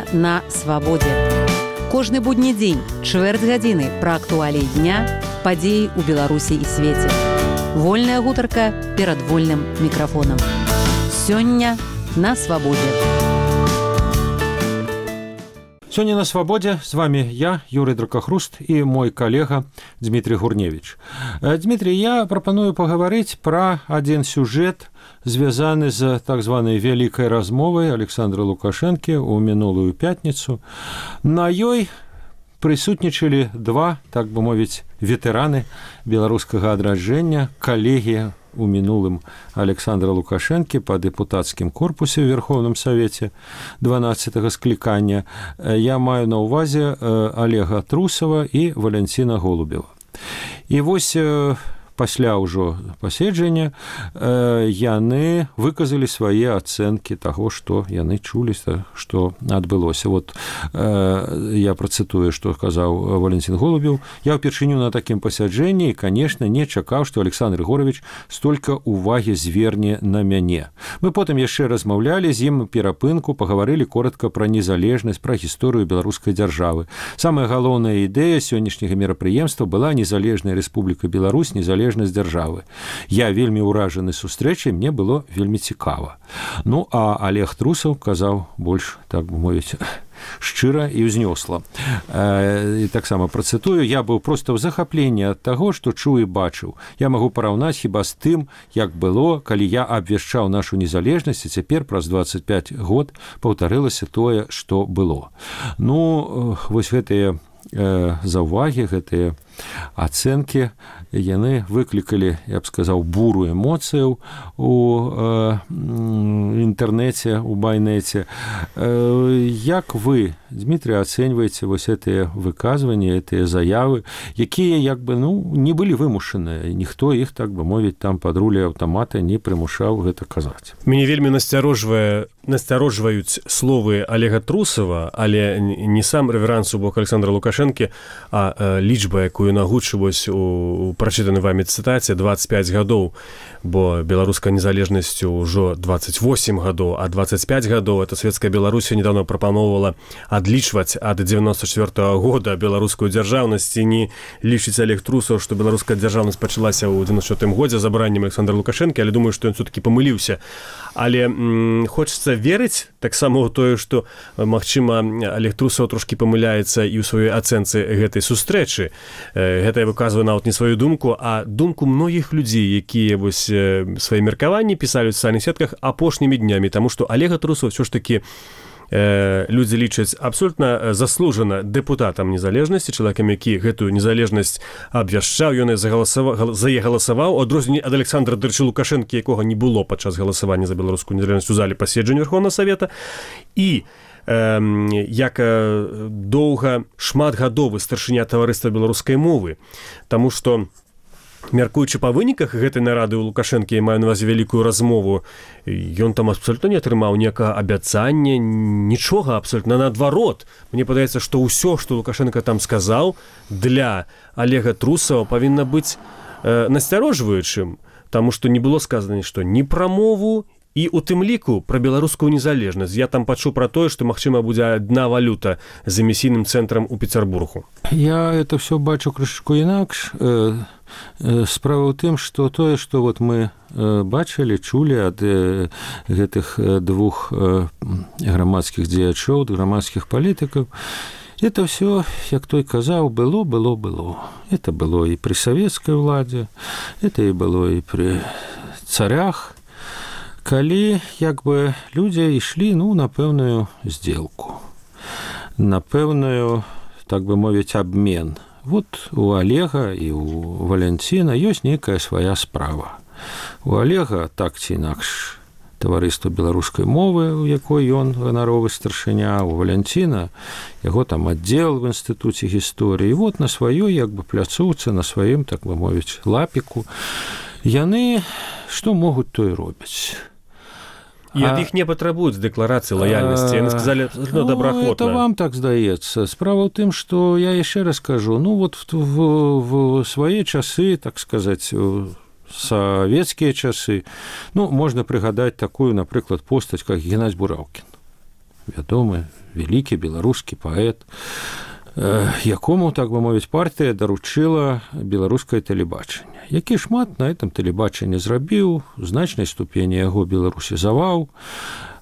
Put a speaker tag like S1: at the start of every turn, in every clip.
S1: Сёння на свабодзе. Кожны будні дзень, чвэрць гадзіны пра актуаліі дня, падзеі ў Беларусі і свеце. Вольная гутарка перад вольным мікрафонам. Сёння на свабодзе.
S2: Сёння на свабодзе з вами я, Юрый Дракахруст, і мой калега Дмітрий Гурневич. Дмітрий, я прапаную пагаварыць пра адзін сюжэт, звязаны з так званай вялікай размовай Александра Лукашэнкі ў мінулую пятніцу. На ёй прысутнічалі два, так бы мовіць, ветэраны беларускага адраджэння, калегі у мінулым Александра Лукашэнкі па дэпутацкім корпусе ў Верховным Савеце 12-го склікання. Я маю на ўвазе Олега Трусова і Валянціна Голубева. І вось пасля ўжо паседжання яны выказалі свае ацэнкі таго, што яны чулі, што адбылося. Вот я працытую, што казаў Валянцін Голубеў. Я ўпершыню на такім пасяджэнні і, канешне, не чакаў, што Александр Григорьевич столькі ўвагі зверне на мяне. Мы потым яшчэ размаўлялі з ім перапынку, пагаварылі коротка пра незалежнасць, пра гісторыю беларускай дзяржавы. Самая галоўная ідэя сённяшняга мерапрыемства была незалежная Рэспубліка Беларусь, незалежнасць дзяржавы. Я вельмі ўражаны сустрэчай, мне было вельмі цікава. Ну, а Олег Трусаў казаў больш, так бы мовіць, шчыра і ўзнёсла. І таксама працытую, я быў проста ў захапленні ад таго, што чуў і бачыў. Я магу параўнаць хіба з тым, як было, калі я абвяшчаў нашу незалежнасць, і цяпер праз 25 год паўтарылася тое, што было. Ну, вось гэтыя заўвагі, гэтыя ацэнкі, яны выклікалі, я б сказаў, буру эмоцыяў у інтэрнэце, у байнэце. Як вы, Дмітрий, ацэньваеце вось гэтыя выказванні, гэтыя заявы, якія як бы, не былі вымушаныя, ніхто іх, так бы мовіць, там пад рулей аўтамата не прымушаў гэта казаць.
S3: Мяне вельмі насцярожваюць словы Олега Трусова, але не сам рэверанс у бок Александра Лукашэнкі, а лічба, якую нагучваюць у прачытанай вамі цытаце, 25 гадоў, бо беларуская незалежнасць ужо 28 гадоў, а 25 гадоў это Савецкая Беларусь недавно прапаноўвала адлічваць ад 94-го года беларускую дзяржаўнасць, і не лічыць Олег Трусаў, што беларуская дзяржаўнасць пачалася ў 94-м годзе забраннем Александра Лукашэнкі, але думаю, што ён все-таки памыліўся. Але хочацца верыць таксама ў тое, што, магчыма, Олег Трусаў трошкі памыляецца і ў сваёй ацэнцы гэтай сустрэчы. Гэта я выказваю нават не сваю думку, а думку многіх людзей, якія вось свае меркаванні пісалі ў сацыяльных сетках апошнімі днямі, таму што Олега Трусаў ўсё ж такі людзі лічаць абсолютна заслужана дэпутатам незалежнасці, чалавекам, які гэтую незалежнасць абвяшчаў, ён за яе галасаваў, у адрозненні ад Александра Лукашэнкі, якога не было падчас галасавання за беларускую незалежнасць у зале паседжання Верховнага Савета, і як шматгадовы старшыня таварыства беларускай мовы, таму што, мяркуючы па выніках гэтай нарады ў Лукашэнкі, я маю на ўвазе вялікую размову, ён там абсолютна не атрымаў ніякага абяцання, нічога абсолютна, наадварот. Мне падаецца, што ўсё, што Лукашэнка там сказаў, для Олега Трусава павінна быць насцярожваючым, таму што не было сказана нішто ні пра мову, і у тым ліку пра беларускую незалежнасць. Я там пачуў пра тое, што, магчыма, будзе адна валюта з эмісійным цэнтрам у Пецярбургу.
S2: Я это все бачу крышку інакш. Справа ў тым, што тое, што вот мы бачылі, чулі ад гэтых двух грамадскіх дзеячоў, грамадскіх палітыкаў, это все, як той казаў, было. Это было і пры савецкай уладзе, это і было і пры царях, калі як бы людзі ішлі на пэўную здзелку, на пэўную, так бы мовіць, абмен. Вот у Олега і у Валянціна ёсць нейкая свая справа. У Олега так ці інакш таварыства беларускай мовы, у якой ён ганаровы старшыня, у Валянціна яго там аддзел в інстытуце гісторыі. І вот на сваёй як бы пляцоўцы, на сваім, так бы мовіць, лапіку яны што могуць, то і робяць.
S3: І ад іх не патрабуюць дэкларацыі лаяльнасці. Яны сказалі, добраахвотна.
S2: Это вам так здаецца. Справа ў тым, што я яшчэ раз кажу, вот в свае часы, так сказаць, савецкія часы, можна прыгадаць такую, напрыклад, постаць, як Геннадзь Бураўкін. вядомы вялікі беларускі паэт, якому, так бы мовіць, партыя даручыла беларускае тэлебачанне, які шмат на этом тэлебачанні зрабіў, у значнай ступені яго беларусізаваў,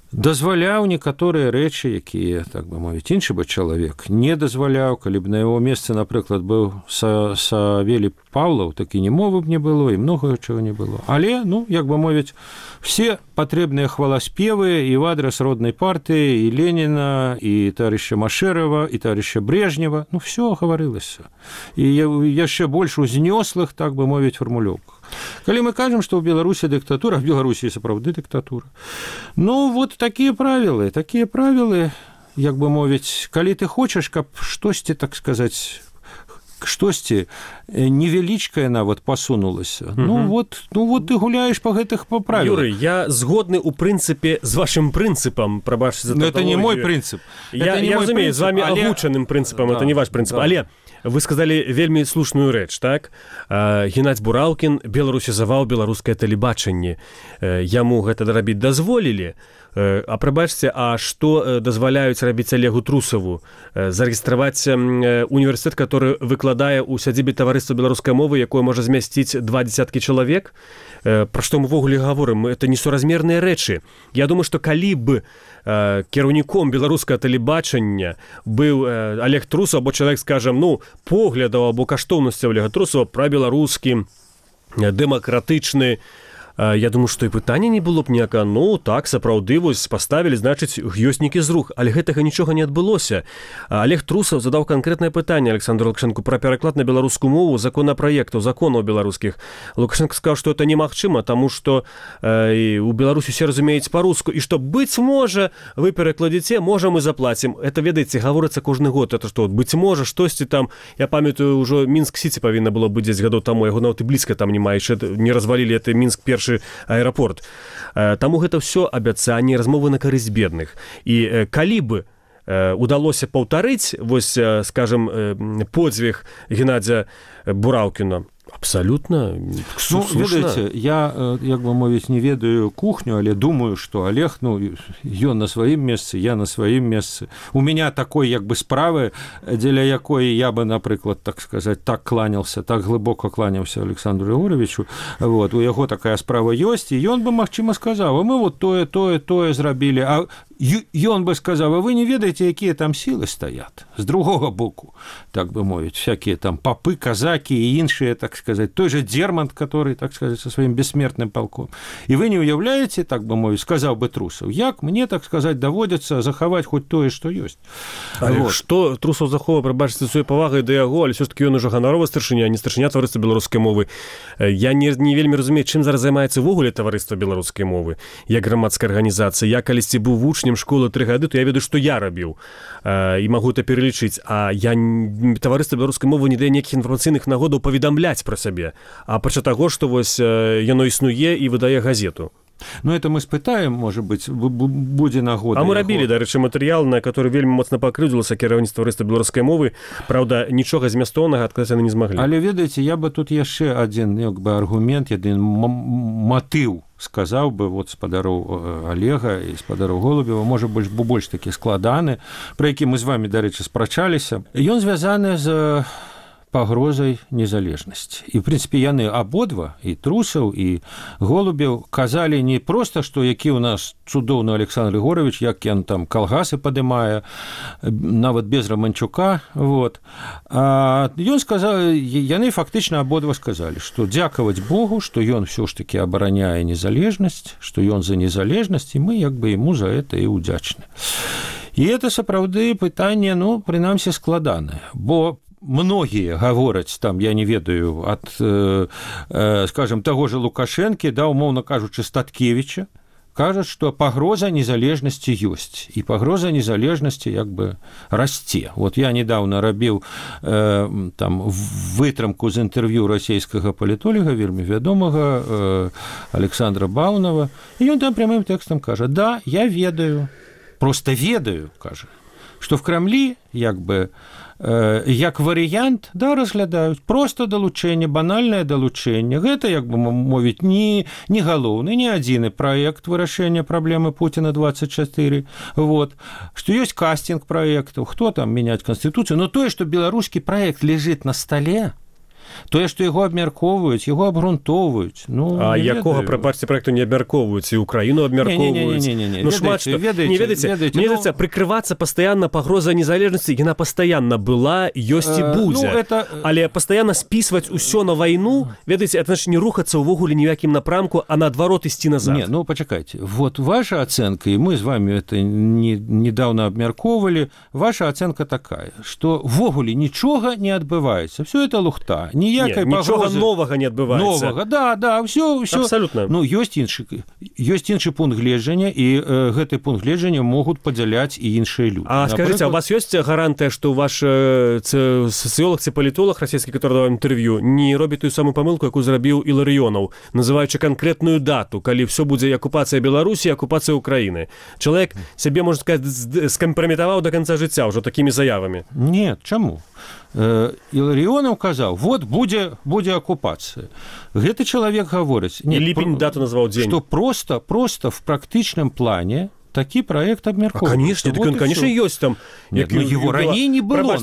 S2: дазваляў некаторыя рэчы, якія, так бы мовіць, іншы бы чалавек не дазваляў. Калі б на яго месцы, напрыклад, быў Савелій Павлаў, так і ні мовы б не было, і многага чаго не было. Але, ну, як бы мовіць, все патрэбныя хваласпевы і в адрес роднай партыі, і Леніна, і товарища Машэрава, і товарища Брежнева, ну, все гаварылася. І яшчэ больш узнёслых, так бы мовіць, фармулёўках. Калі мы кажам, што ў Беларусі дыктатура, в Беларусі сапраўды дыктатура. Ну, вот такія правілы, як бы мовіць, калі ты хочаш, каб штосьці, так сказаць, штосьці невялічкае нават пасунулася. Ну вот ты гуляеш па гэтых правілах.
S3: Юрый, я згодны ў прынцыпе з вашым прынцыпам, прабачце за
S2: тавтологію. Это не мой прынцып.
S3: Я разумею, з вами агучаным прынцыпам, это не ваш прынцып. Але вы сказалі вельмі слушную рэч, так? Геннадзь Бураўкін беларусізаваў беларускае тэлебачанне. Яму гэта рабіць дазволілі. А прабачце, а што дазваляюць рабіць Олегу Трусаву? Зарэгістраваць універсітэт, который выкладае ў сядзібе таварыства беларускай мовы, якое можа змясціць 20 чалавек? Пра што мы ввогуле гаворым? Это несуразмерныя рэчы. Я думаю, што калі б кіраўніком беларускага тэлебачання быў Олег Трусаў, або чалавек, скажам, ну, поглядаў або каштоўнасцяў Олега Трусава пра беларускі, дэмакратычны, я думаю, што і пытання не было б ніяка. Ну, так, сапраўды, вось паставілі, значыць, ёсць нейкі зрух. Але гэтага нічога не адбылося. Олег Трусаў задаў канкрэтнае пытанне Александру Лукашэнку пра пераклад на беларускую мову законапраектаў, законаў беларускіх. Лукашенко сказаў, што это немагчыма, таму што у Беларусі усе разумеюць па-руску, і што, быць можа, вы перакладзіце, можа, мы заплацім. Это, ведаеце, гаворыцца кожны год. Это што, быць можа, штосьці там, я памятаю, ўжо Мінск-Сіці павінна было быць 10 гадоў таму, яго нават і блізка там няма, яшчэ не развалілі, это Мінск першы аэрапорт. Таму гэта ўсё абяцанні, размовы на карысць бедных. І калі бы удалося паўтарыць, вось, скажем, подзвіг Геннадзя Бураўкіна, абсолютно слушна.
S2: Ведаеце, я, як бы мовіць, не ведаю кухню, але думаю, што Олег, ну, ён на сваім месцы, я на сваім месцы. У меня такой, як бы, справы, дзеля якой я бы, напрыклад, так сказаць, так кланялся, так глыбока кланяўся Александру Егоровичу. Вот, у яго такая справа ёсць, і ён бы, магчыма, сказаў, а мы вот тое зрабілі, а ён бы сказаў, а вы не ведаеце, якія там сілы стаят з другога боку, так бы мовіць, всякие там папы, казакі і іншыя, так сказать, той же Дермант, который, так сказать, со своим бессмертным полком. И вы не уявляете, так бы мовіць, сказаў бы Трусаў, як мне, так сказать, даводится захаваць хоть тое, што ёсць.
S3: Але вот. Што Трусаў захоўвае, прабачце, сваёй павагай да яго, але ўсё-таки ён ужо ганаровы старшыня, а не старшыня таварыства беларускай мовы. Я не вельмі разумею, чым зараз займаецца ўвогуле таварыства беларускай мовы, як грамадская арганізацыя. Я калісьці быў вучнем школы 3 гады, то я ведаю, што я рабіў, і магу это пералічыць, а я таварыства беларускай мовы не дае ніякіх інфармацыйных нагодаў паведамляць пра сябе, а пача таго, што вось яно існуе і выдае газету.
S2: Ну, это мы спытаем, может быть, будзе нагода.
S3: А мы рабілі, дарэчы, матэрыял, на который вельмі моцна пакрыўдзілася кіраўніцтва таварыства беларускай мовы. Праўда, нічога змястоўнага адказаць яны не змаглі.
S2: Але, ведаеце, я бы тут яшчэ адзін, як бы, аргумент, адзін матыў сказаў бы, вот, спадароў Олега і спадароў Голубева, можа, больш такі складаны, пра які мы з вами, дарэчы, спрачаліся. Ён звязаны з пагрозай незалежнасці. І, в прынцыпе, яны абодва, і Трусаў, і Голубеў, казалі не проста, што які ў нас цудоўны Александр Егорович, як ён там калгасы падымае, нават без Романчука, вот. А ён сказаў, яны фактычна абодва сказалі, што дзякаваць Богу, што ён ўсё ж такі абараняе незалежнасць, што ён за незалежнасць, і мы як бы яму за это і ўдзячны. І это сапраўды пытанне, ну, прынамсі, складанае, бо многие гавораць, там, я не ведаю, ад, скажем, таго же Лукашэнкі, да, умоўна кажучы, Статкевіча, кажуць, што пагроза незалежнасці ёсць, і пагроза незалежнасці як бы расце. Вот я недавно рабіў там вытрымку з інтэрв'ю расійскага палітолога, вельмі вядомага, Александра Баунова, і ён там прямым тэкстам кажа, да, я ведаю, просто ведаю, кажа, што в Крамлі, як бы, як варыянт, да, разглядаюць просто далучэнне, банальнае далучэнне. Гэта, як бы мовіць, не галоўны, не адзіны праект вырашэння праблемы Путіна 24. Вот. Што ёсць кастинг праектаў, хто там мяняць канстытуцыю, но тое, што беларускі праект ляжыць на стале, тое, што яго абмяркоўваюць, яго абгрунтоўваюць. Ну,
S3: а якога, прапачце, праекту не абмяркоўваюць, і ўкраіну абмяркоўваюць?
S2: Ну,
S3: шмат што. Не ведаеце, мне здаецца, прыкрывацца пастаянна пагроза незалежнасці, яна пастаянна была, ёсць і будзе. Але пастаянна спісваць усё на вайну, ведаеце, это значит не рухацца ўвогуле ні ў якім напрамку, а наадварот ісці назад.
S2: Не, ну, пачакайце. Вот ваша ацэнка, і мы з вами это недавно абмяркоўвалі, ваша ацэнка такая, што ввогуле нічога не адбываецца. Всё это лухта. Ніякай
S3: нічога новага не адбываецца.
S2: Новага, да, ўсё.
S3: Абсалютна.
S2: Ну, ёсць іншы пункт гледжання, і гэты пункт гледжання могуць падзяляць і іншыя людзі.
S3: А скажыце, у вас ёсць гарантыя, што ваш сацыёлог ці палітолог расійскі, который даваў інтэрв'ю, не робіць тую самую памылку, якую зрабіў Іларыёнаў, называючы канкрэтную дату, калі ўсё будзе акупацыя Беларусі, акупацыя Украіны. Чалавек сябе, можна сказаць, скампраметаваў да канца жыцця ўжо такімі заявамі.
S2: Не, чаму? Іларыёнаў казаў, вот будзе акупацыя. Гэты чалавек гаворыць,
S3: ліпень дату назваў дзень,
S2: што просто в практычным плане такі праект абмяркоўваецца.
S3: Конечно, так он, конечно, ёсць там.
S2: Нет, но его раней не было.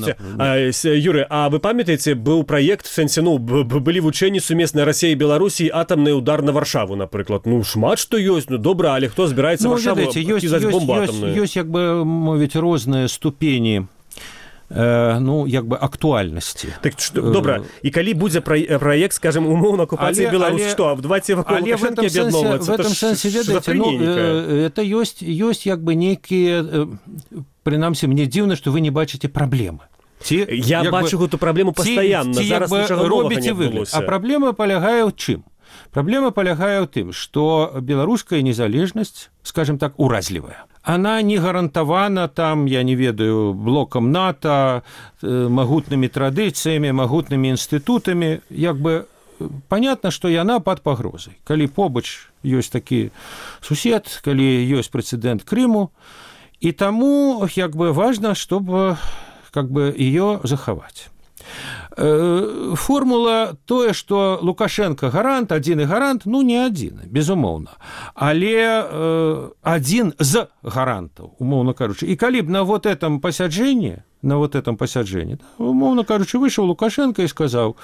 S3: Юры, а вы памятаеце, быў праект, в сэнсе, ну, былі вучэнні сумеснай Расіі і Беларусі, атамны удар на Варшаву, напрыклад. Ну, шмат што ёсць, ну, добра, але хто збіраецца Варшаву кідаць бомбу атамную?
S2: Ёсць, як бы, мовіць, розныя ступені, ну, як бы, актуальнасці.
S3: Так, добра, і калі будзе праект, скажем, умоўна акупацыі Беларусь, што, давайте вакол Лукашэнкі аб'ядноўвацца?
S2: В этом сэнсе, ведаеце, ну, это ёсць, як бы, нейкія, прынамсі, мне дзіўна, што вы не бачыце праблемы.
S3: Я бачу гэту праблему пастаянна, зараз нічога новага не адбылося.
S2: А праблема палягае ў чым? Праблема палягае ў тым, што беларуская незалежнасць, скажем так, уразлівая. Она не гарантавана там, я не ведаю, блокам НАТО, магутнымі традыцыямі, магутнымі інстытутамі. Як бы понятно, што яна пад пагрозай. Калі побач ёсць такі сусед, калі ёсць прэцэдэнт Крыму, і таму, як бы, важна, чтобы, как бы, её захаваць. Формула тое, што Лукашенко гарант, адзіны гарант, ну, не адзіны, безумоўна, але адзін з гарантаў, умоўна кажучы. І калі б на вот этом пасяджэнні, умоўна кажучы, выйшаў Лукашенко і сказаў: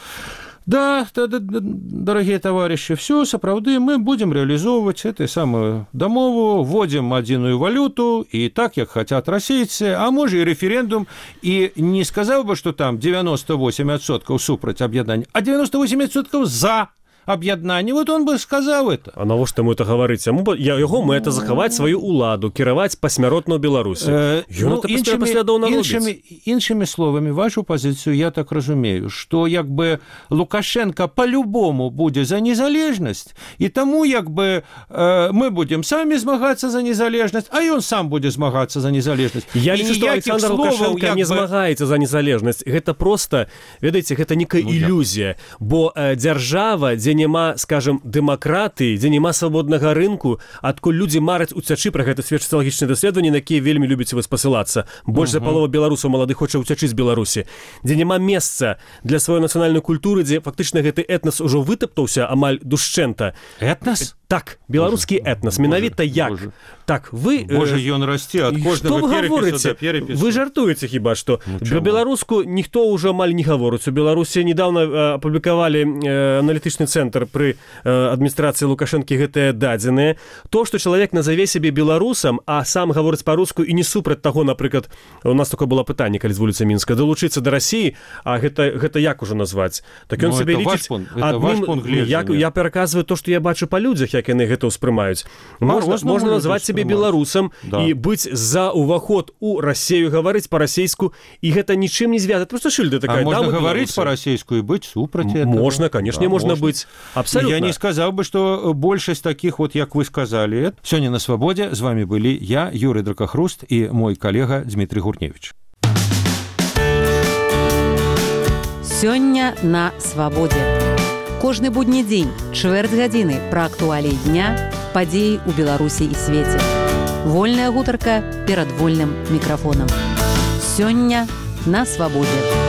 S2: да, дорогие товарищи, все, сапраўды, мы будем реализовывать эту самую домову, вводим единую валюту, и так, как хотят российцы, а может и референдум, и не сказал бы, что там 98% супраць объединения, а 98% за аб'яднанне, вот он бы сказаў это.
S3: А навошта мы это гаварыць? Яго мэта захаваць сваю ўладу, кіраваць пасмяротна ў Беларусі. Ён это паслядоўна робіць.
S2: Іншымі словамі, вашу пазіцыю я так разумею, што як бы Лукашенко по-любому будзе за незалежнасць, і таму як бы мы будзем самі змагацца за незалежнасць, а ён сам будзе змагацца за незалежнасць.
S3: Я лічу, што Александр Лукашенко не змагаецца за незалежнасць. Гэта проста, ведаеце, гэта некая ілюзія, бо дзяржава, дзе няма, скажем, дэмакратыі, дзе няма свабоднага рынку, адкуль людзі мараць уцячы, пра гэта сведчаць социалагічныя даследаванні, на якія вельмі любіце вы спасылацца. Больш за палова беларусаў маладых хоча уцячы з Беларусі. Дзе няма месца для сваёй нацыянальнай культуры, дзе фактычна гэты этнас ужо вытаптаўся амаль душчэнта.
S2: Этнас?
S3: Так, беларускі этнас. Менавіта як? Так, вы...
S2: Боже, ён расце ад кожнага перепісу да перепісу.
S3: Вы жартуеце хіба што? Беларуску ніхто ўжо амаль не гаворыць. У Беларусі недавно апублікавалі аналітычны цэнтр пры адміністрацыі Лукашэнкі гэтыя дадзеныя. То, што чалавек назаве сябе беларусам, а сам гаворыць па-руску і не супраць таго, напрыклад, у нас такое было пытанне, калі з вуліцы Мінска, далучыцца да Расіі, а гэта як ужо назваць? Так ён сабе лічыць адным... Я пераказваю то, што я бачу па людзях, як яны гэта ўспрымаюць. Можна назваць сябе беларусам і быць за ўваход у Расею, гаварыць па-расейску, і гэта нічым не звязана. Просто шыльда такая.
S2: А можна гаварыць па-расейску і быць супраць этого?
S3: Можна, конечно, можна быць. Абсолютно.
S2: Я не сказал бы, что большасць таких, вот, як вы сказали. Сёння на свабодзе з вами былі я, Юрий Дракахруст, і мой калега Дмитрий Гурневич.
S1: Сёння на свабодзе. Кожны будні дзень, чвэрць гадзіны пра актуаліі дня, падзеі ў Беларусі і свеце. Вольная гутарка перад вольным мікрафонам. Сёння на свабодзе.